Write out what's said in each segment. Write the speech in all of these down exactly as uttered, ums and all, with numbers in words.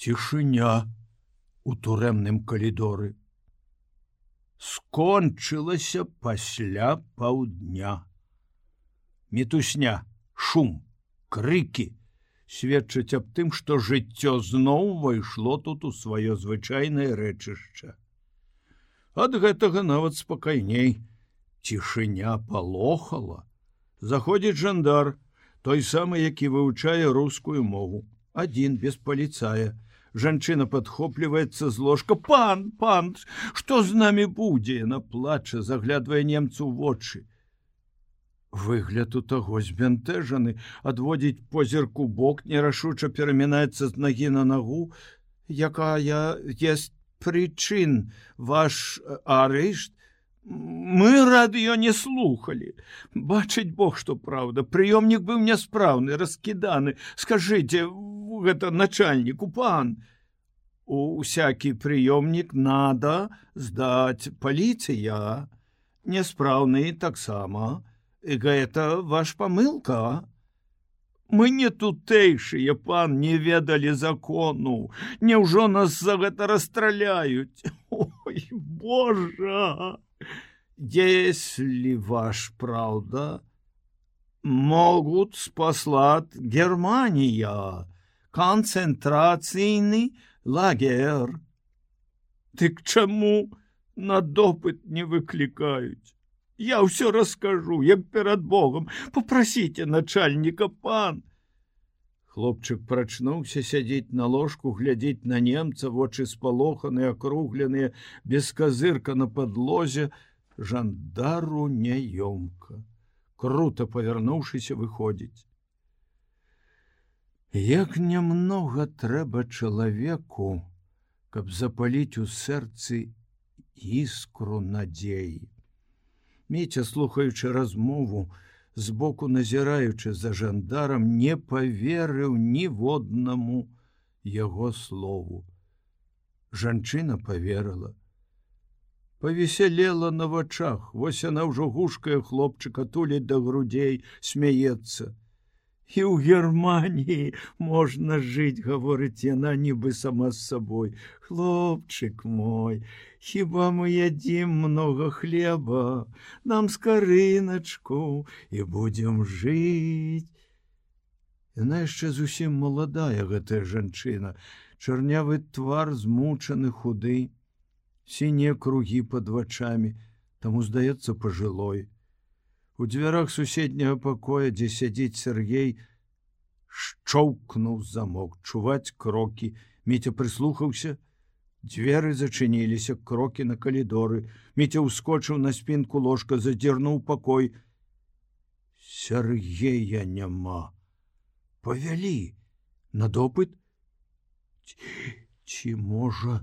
Цішыня у турэмным калідоры. Скончылася пасля паўдня. Мітусня, шум, крыкі сведчаць аб тым, што жыццё зноў увайшло тут у сваё звычайнае рэчышча. Ад гэтага нават спакайней. Цішыня палохала. Заходзіць жандар, той самы, які вывучае рускую мову. Адзін, без паліцая. Жанчына падхопліваецца з ложка. Пан, пан, што з намі будзе? Яна плача, заглядвае немцу ў вочы. Выгляд у таго збянтэжаны, адводзіць позірку бок, нерашуча перамінаецца з нагі на нагу. Якая есть прычын ваш арышт? Мы радыё не слухали. Бачыць Бог, што праўда. Прыёмнік быў няспраўны, раскіданы. Скажыце, гэта начальніку, пан. Усякі прыёмнік надо здаць паліцыя. Няспраўны таксама. І гэта ваш памылка. Мы не тутэйшыя, пан, не ведалі закону. Няўжо нас за гэта расстраляюць? Ой, Божа! Если ваш правда, могут спаслать Германия, концентрацийный лагерь. Ты к чему на допыт не выкликают? Я все расскажу, як перед Богом. Попросите начальника, пан. Хлопчык прачнуўся сядзець на ложку, глядзець на немца, вочы спалоханыя, акругленыя, без казырка на падлозе. Жандару няёмка. Круто павярнуўшыся, выходзіць. Як нямнога трэба чалавеку, каб запаліць у сэрцы іскру надзеі. Міця, слухаючы размову, збоку назіраючы за жандарам, не паверыў ніводнаму яго слову. Жанчына паверыла. Павесялела на вачах, вось яна ўжо гушкае хлопчыка, туліць да грудзей, смяецца. І ў Германіі можна жыць, гаворыць яна, нібы сама з сабой. Хлопчык мой, хіба мы ядзім много хлеба, нам скарыначку і будзем жыць. Яна яшчэ зусім маладая, гэтая жанчына, чарнявы твар змучаны, худы, сінія кругі пад вачамі, таму здаецца пажылой. У дзвярах суседняга пакоя, дзе сядзіць Сергей, шчоўкнуў замок, чуваць крокі. Міця прыслухаўся, дзверы зачыніліся, крокі на калідоры. Міця ўскочыў на спінку ложка, задзірнуў пакой. Сергея няма. Павялі на допыт? Ці можа...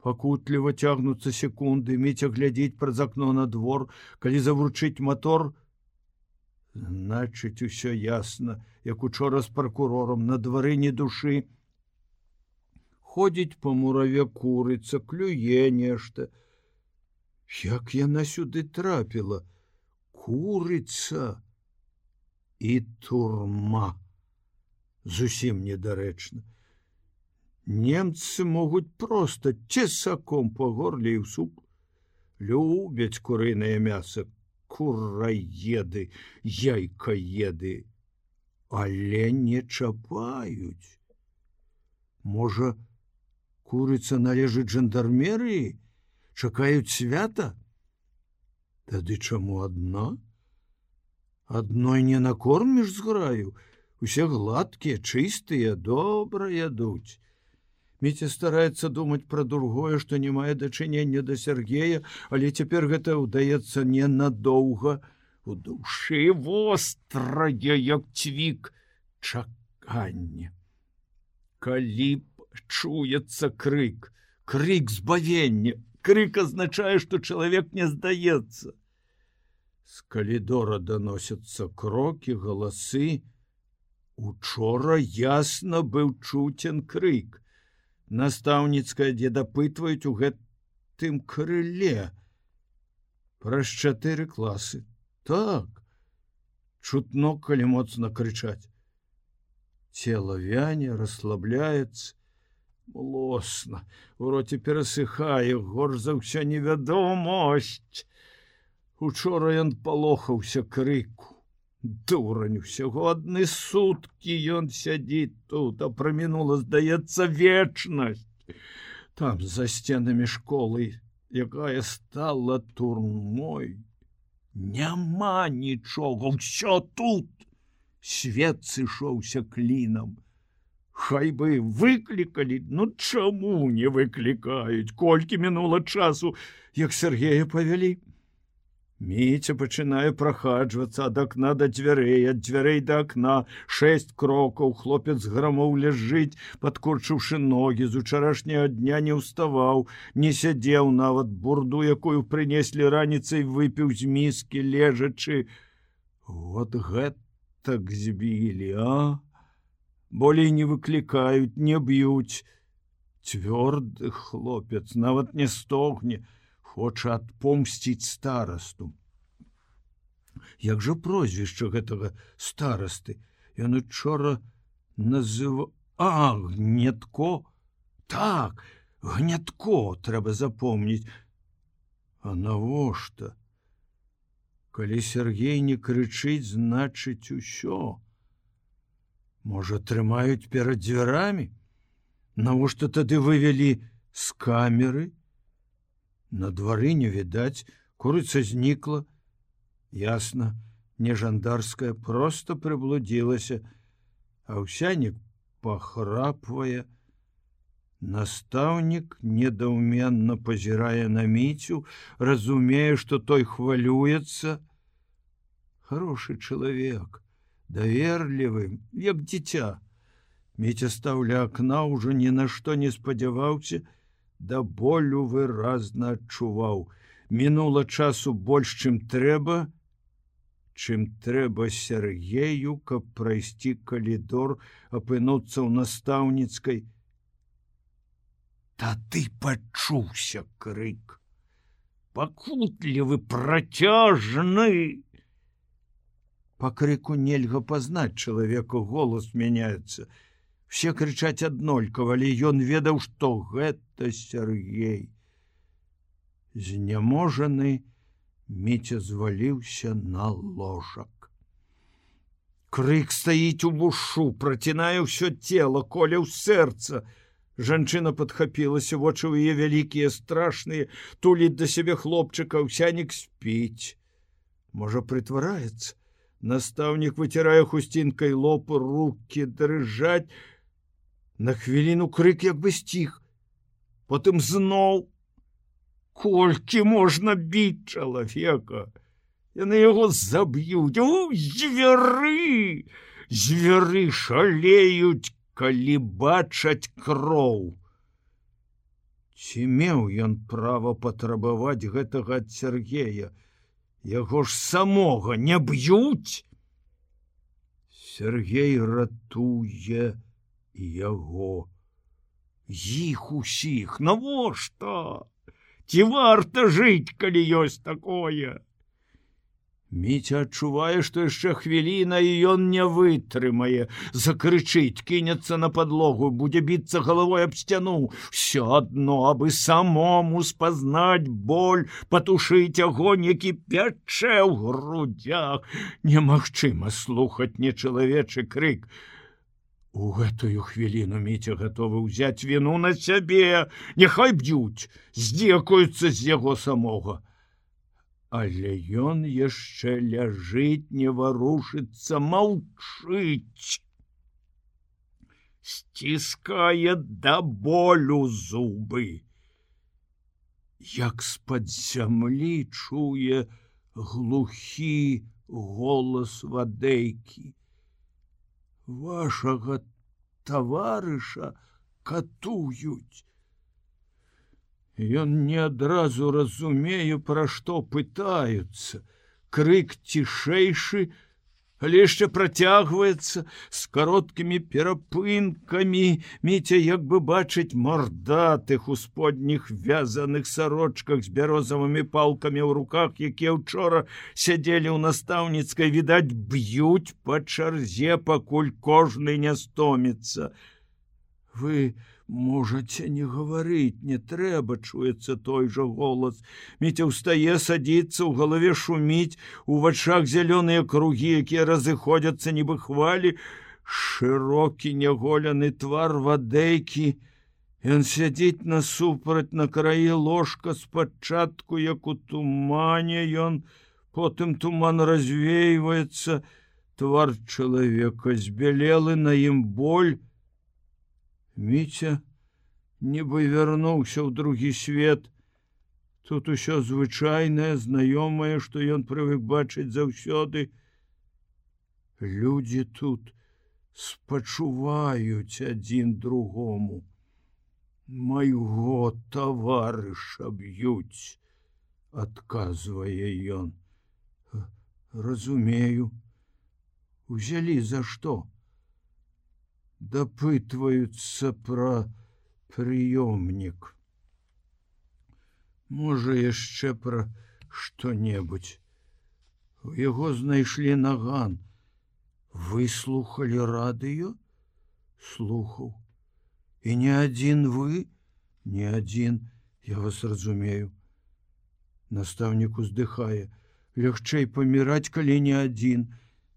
Пакутліва цягнуцца секунды, Міця глядзіць праз акно на двор, калі завручыць мотор. Значыць, усё ясна, як учора з пракурорам, на двары ні душы. Ходзіць па мураве курыца, клюе нешта. Як яна сюды трапіла? Курыца і турма. Зусім недарэчна. Немцы могуць проста цесаком па горле і ў суп. Любяць курынае мяса, кураеды, яйкаеды, але не чапаюць. Можа, курыца належыць жандармерыі? Чакаюць свята? Тады чаму адна? Адной не накорміш зграю, усе гладкія, чыстыя, добра ядуць. Міця стараецца думаць пра другое, што не мае дачынення да Сергея, але цяпер гэта ўдаецца ненадоўга. У душы вострае, як цвік, чаканне. Калі б чуецца крык, крык збавення, крык азначае, што чалавек не здаецца. З калідора даносяцца крокі, галасы. Учора ясна быў чуцен крык. Настаўніцкая, дзе дапытваюць у гэтым крыле. Праз чатыры класы. Так, чутно, калі моцна крычаць. Цела вяне, расслабляецца. Млосна, у роце перасыхае, горш за ўся невядомасць. Учора ён палохаўся крыку. Дурань, усяго адны суткі ён сядзіць тут, а прамінула, здаецца, вечнасць. Там, за сценамі школы, якая стала турмой, няма нічога, ўсё тут. Свет сышоўся клінам. Хай бы выклікалі, ну чаму не выклікаюць? Колькі мінула часу, як Сергея павялі? Міця пачынае прахаджвацца ад акна да дзвярэй, ад дзвярэй да акна, шэсць крокаў, хлопец грамоў ляжыць, падкурчыўшы ногі, з учарашняга дня не ўставаў, не сядзеў нават, бурду, якую прынеслі раніцай, выпіў з міскі, лежачы. Вот гэтак збілі, а? Болей не выклікаюць, не б'юць. Цвёрды хлопец, нават не стогне, хоча адпомсціць старасту. Як жа прозвішча гэтага старасты? Ён учора называў... А, Гнятко? Так, Гнятко, трэба запомніць. А навошта? Калі Сергей не крычыць, значыць усё. Можа, трымаюць перад дзвярамі? Навошта тады вывялі з камеры? На двары не відаць, курыца знікла. Ясна, не жандарская, проста прыблудзілася, а ўсянік пахрапвае. Настаўнік недаўменна пазірае на Міцю, разумее, што той хвалюецца. Хорошы чалавек, даверлівы, як дзіця. Міця стаў ля акна, ужо ні на што не спадзяваўся, да болю выразна адчуваў. Мінула часу больш, чым трэба, чым трэба Сергею, каб прайсці калідор, апынуцца ў настаўніцкай. Тады пачуўся крык. Пакутлівы, працяжны. Па крыку нельга пазнаць чалавека, голас мяняецца. Все крычаць аднолькава, але ён ведаў, што гэта Сергей. Знеможаны, Міця зваліўся на ложак. Крык стаіць у вушу, працінае ўсё цела, коля ў сэрца. Жанчына падхапілася, вочы ў яе вялікія, страшныя, туліць да сябе хлопчыка, ўсянік спіць. Можа, прытвараецца? Настаўнік выцірае хусцінкай лоб, рукі дрыжаць. На хвіліну крык як бы сціх. Потым зноў. Колькі можна біць чалавека? Яны яго заб'юць. У, звяры! Звяры шалеюць, калі бачаць кроў. Ці меў ён права патрабаваць гэтага ад Сергея? Яго ж самога не б'юць? Сергей ратуе яго. Іх усіх, навошта? Ці варта жыць, калі ёсць такое? Міця адчувае, што яшчэ хвіліна, і ён не вытрымае. Закрычыць, кінецца на падлогу, будзе біцца галавой аб сцяну. Всё адно, абы самому спазнаць боль, патушыць агонь, які пячэ ў грудях. Немагчыма слухаць нечалавечы крык. У гэтую хвіліну Міця гатовы ўзяць віну на сябе. Няхай б'юць, здзекуюцца з яго самога. Але ён яшчэ ляжыць, не варушыцца, маўчыць. Сціскае да болю зубы. Як з-пад зямлі чуе глухі голас вадэйкі. Вашага таварыша катуюць. Ён не адразу разумее, пра што пытаюцца. Крык цішэйшы, але яшчэ працягваецца з кароткімі перапынкамі. Міця як бы бачыць мардатых у сподніх вязаных сарочках з бярозавымі палкамі ў руках, якія ўчора сядзелі ў настаўніцкай, відаць, б'юць па чарзе, пакуль кожны не стоміцца. Вы можете не гаварыць, не трэба, чуецца той жа голас. Міця ўстае, садзіцца, у галаве шуміць, у вачах зялёныя кругі, якія разыходзяцца, нібы хвалі, шырокі няголены твар вадэйкі. Ён сядзіць насупраць на краі ложка, спачатку, як у тумане ён, потым туман развейваецца, твар чалавека збялелы, на ім боль. Міця нібы вярнуўся ў другі свет. Тут усё звычайнае, знаёмае, што ён прывык бачыць заўсёды. Людзі тут спачуваюць адзін другому. Майго таварыша б'юць, адказвае ён. Разумею. Узялі за што? Дапытваюцца пра прыёмнік. Можа, яшчэ пра што-небудзь. У яго знайшлі наган. Вы слухалі радыё? Слухаў. І не адзін вы? Не адзін, я вас разумею. Настаўнік уздыхае. Лягчэй паміраць, калі не адзін.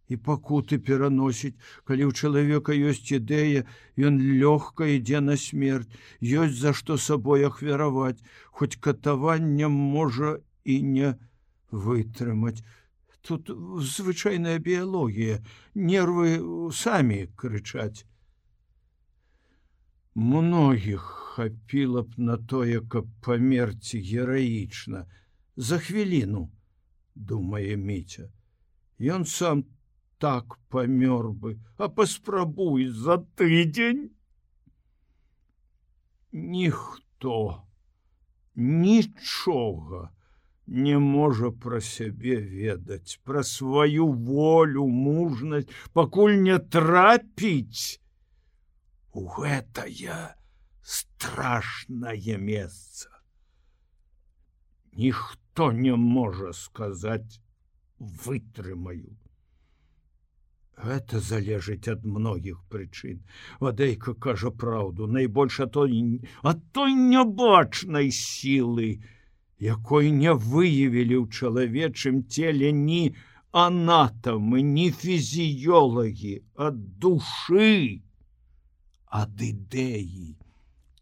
І пакуты пераносіць, калі ў чалавека ёсць ідэя, ён лёгка ідзе на смерць, ёсць за што сабой ахвяраваць, хоць катаваннем можа і не вытрымаць. Тут звычайная біялогія, нервы самі крычаць. Многіх хапіла б на тое, каб памерці гераічна. За хвіліну, думае Міця. Ён сам так памёр бы, а паспрабуй за тыдзень. Ніхто нічога не можа пра сябе ведаць, пра сваю волю, мужнасць, пакуль не трапіць у гэтае страшнае месца. Ніхто не можа сказаць «вытрымаю». Гэта залежыць ад многіх прычын. Вадэйка кажа праўду, найбольш ад той, ад той нябачнай сілы, якой не выявілі ў чалавечым целе ні анатамы, ні фізіёлагі, ад душы, ад ідэі.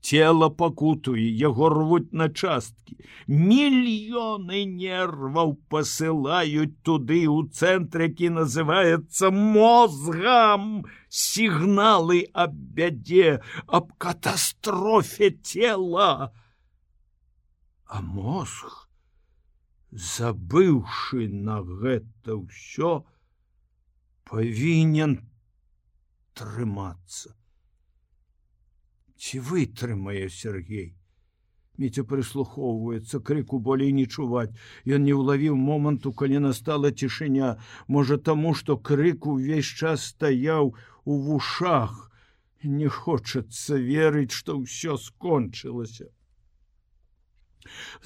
Цела пакутуе, яго рвуць на часткі. Мільёны нерваў пасылаюць туды, у цэнтр, які называецца мозгам, сігналы аб бядзе, аб катастрофе цела. А мозг, забыўшы на гэта ўсё, павінен трымацца. Ці вытрымае Сергей? Міця прыслухоўваецца, крыку болей не чуваць. Ён не ўлавіў моманту, калі настала цішыня. Можа, таму, што крык увесь час стаяў у вушах. Не хочацца верыць, што ўсё скончылася.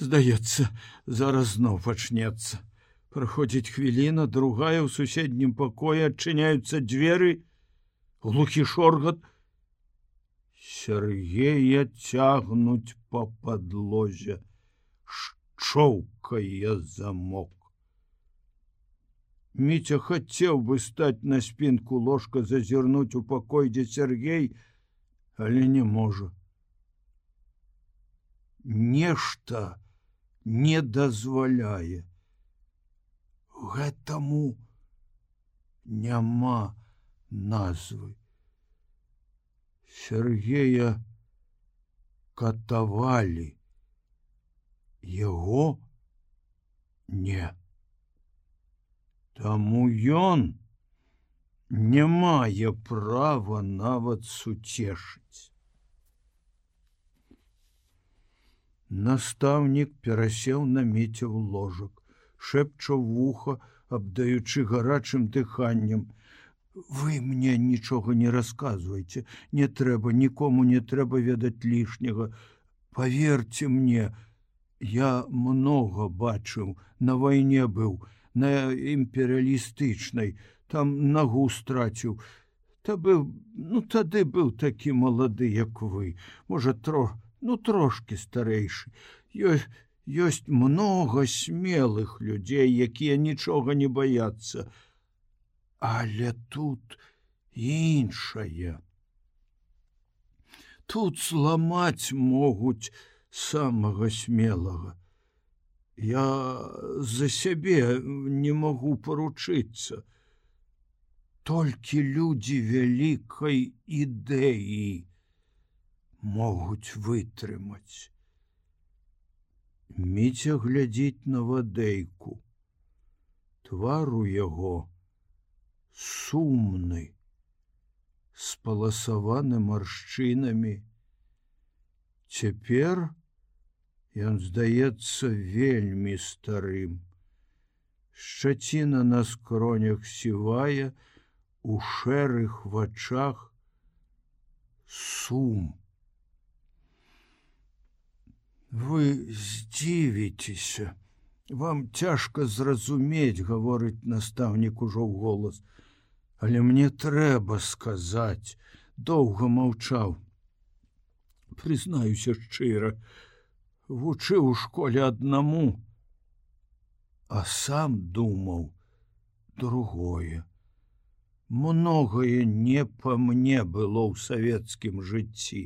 Здаецца, зараз зноў пачнецца. Праходзіць хвіліна, другая, ў суседнім пакоі адчыняюцца дзверы, глухі шоргат. Сергея цягнуць па падлозе, шчоўкае замок. Міця хацеў бы стаць на спінку ложка, зазірнуць у пакой, дзе Сергей, але не можа. Нешта не дазваляе. Гэтаму няма назвы. Сергея катавалі. Яго не. Таму ён не мае права нават суцешыць. Настаўнік перасеў на Міця ў ложак, шэпча ў вуха, абдаючы гарачым дыханнем. Вы мне нічога не расказвайце, не трэба, нікому не трэба ведаць лішняга. Паверце мне, я многа бачыў, на вайне быў, на імперыялістычнай, там нагу страціў. Та быў, ну тады быў такі малады, як вы, можа, тро, ну трошки старэйшы. Ёсць, ёсць многа смелых людзей, якія нічога не баяцца. Але тут іншае. Тут зламаць могуць самага смелага. Я за сябе не магу паручыцца. Толькі людзі вялікай ідэі могуць вытрымаць. Міця глядзіць на Вадейку. Твар у яго сумны, спаласаваны маршчынамі. Цяпер ён здаецца вельмі старым. Шчаціна на скронях сівая, у шэрых вачах сум. Вы здзівіцеся. Вам цяжка зразумець, гаворыць настаўнік ужо ў голас. Але мне трэба сказаць, доўга маўчаў. Прызнаюся шчыра, вучыў у школе аднаму, а сам думаў другое. Многае не па мне было ў савецкім жыцці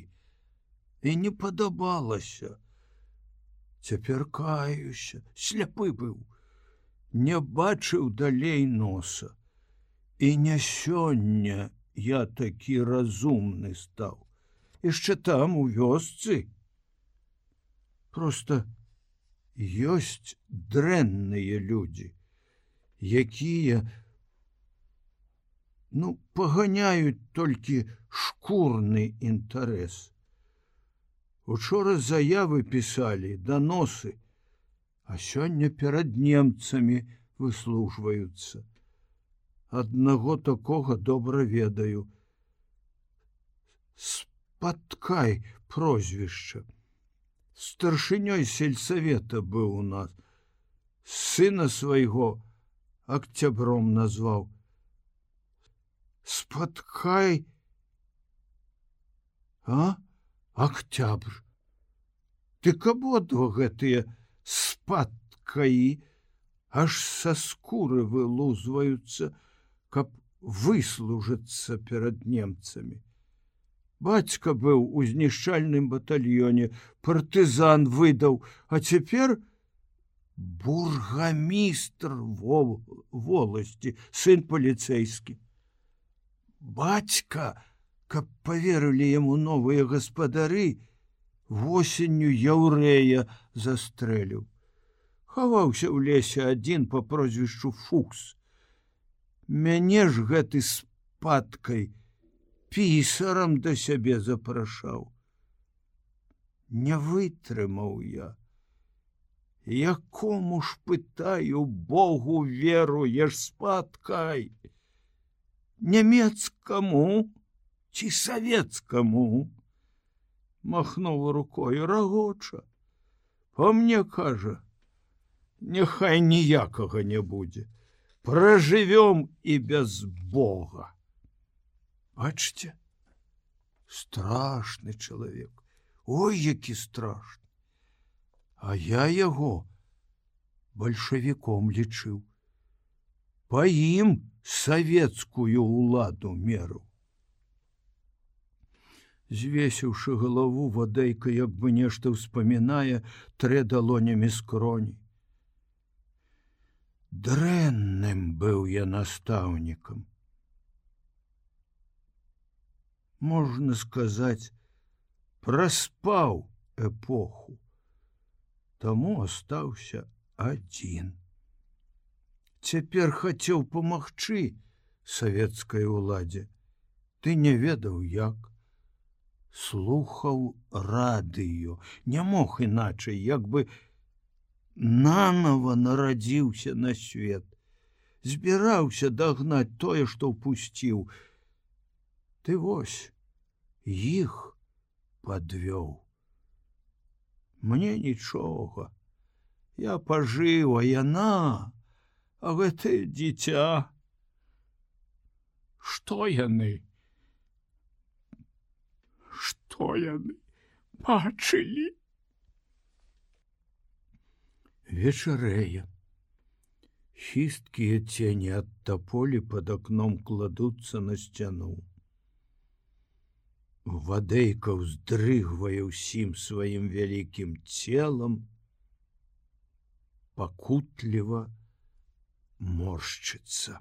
і не падабалася. Цяпер каюся, сляпы быў, не бачыў далей носа. І не сёння я такі разумны стаў. Яшчэ там, у вёсцы. Проста ёсць дрэнныя людзі, якія, ну, паганяюць толькі шкурны інтарэс. Учора заявы пісалі, даносы, а сёння перад немцамі выслужваюцца. Аднаго такога добра ведаю. Спаткай прозвішча. Старшынёй сельсавета быў у нас. Сына свайго Октябром назваў. Спаткай, а? Октябрь. Дык абодва гэтыя спаткаі аж са скуры вылузваюцца, каб выслужыцца перад немцамі. Бацька быў у знішчальным батальёне, партызан выдаў, а цяпер бургамістр воласці, сын паліцэйскі. Бацька, каб паверылі яму новыя гаспадары, восенню яўрэя застрэліў. Хаваўся ў лесе адзін па прозвішчу Фукс. Мяне ж гэты спаткай пісарам да сябе запрашаў. Не вытрымаў я. Якому ж, пытаю, Богу веруеш, спаткай? Нямецкаму ці савецкаму? Махнуў рукою, рагоча. Па мне кажа, няхай ніякага не будзе. Пражывём і без Бога. Бачце, страшны чалавек. Ой, які страшны. А я яго бальшавіком лічыў. Па ім савецкую ўладу меру. Звесіўшы галаву, Вадейка, як бы нешта ўспамінае, трэ далонямі скроні. Дрэнным быў я настаўнікам. Можна сказаць, праспаў эпоху. Таму астаўся адзін. Цяпер хацеў памагчы савецкай уладзе. Ты не ведаў як. Слухаў радыё, не мог іначай, як бы нанова нарадзіўся на свет. Збіраўся дагнаць тое, што ўпусціў. Ты вось, іх падвёў. Мне нічога. Я пажыў, а яна, а гэтае дзіця. Што яны? Хто яны бачылі? Вечарэе. Хісткія цені ад таполі пад акном кладуцца на сцяну. Вадейка ўздрыгвае ўсім сваім вялікім целам, пакутліва моршчыцца.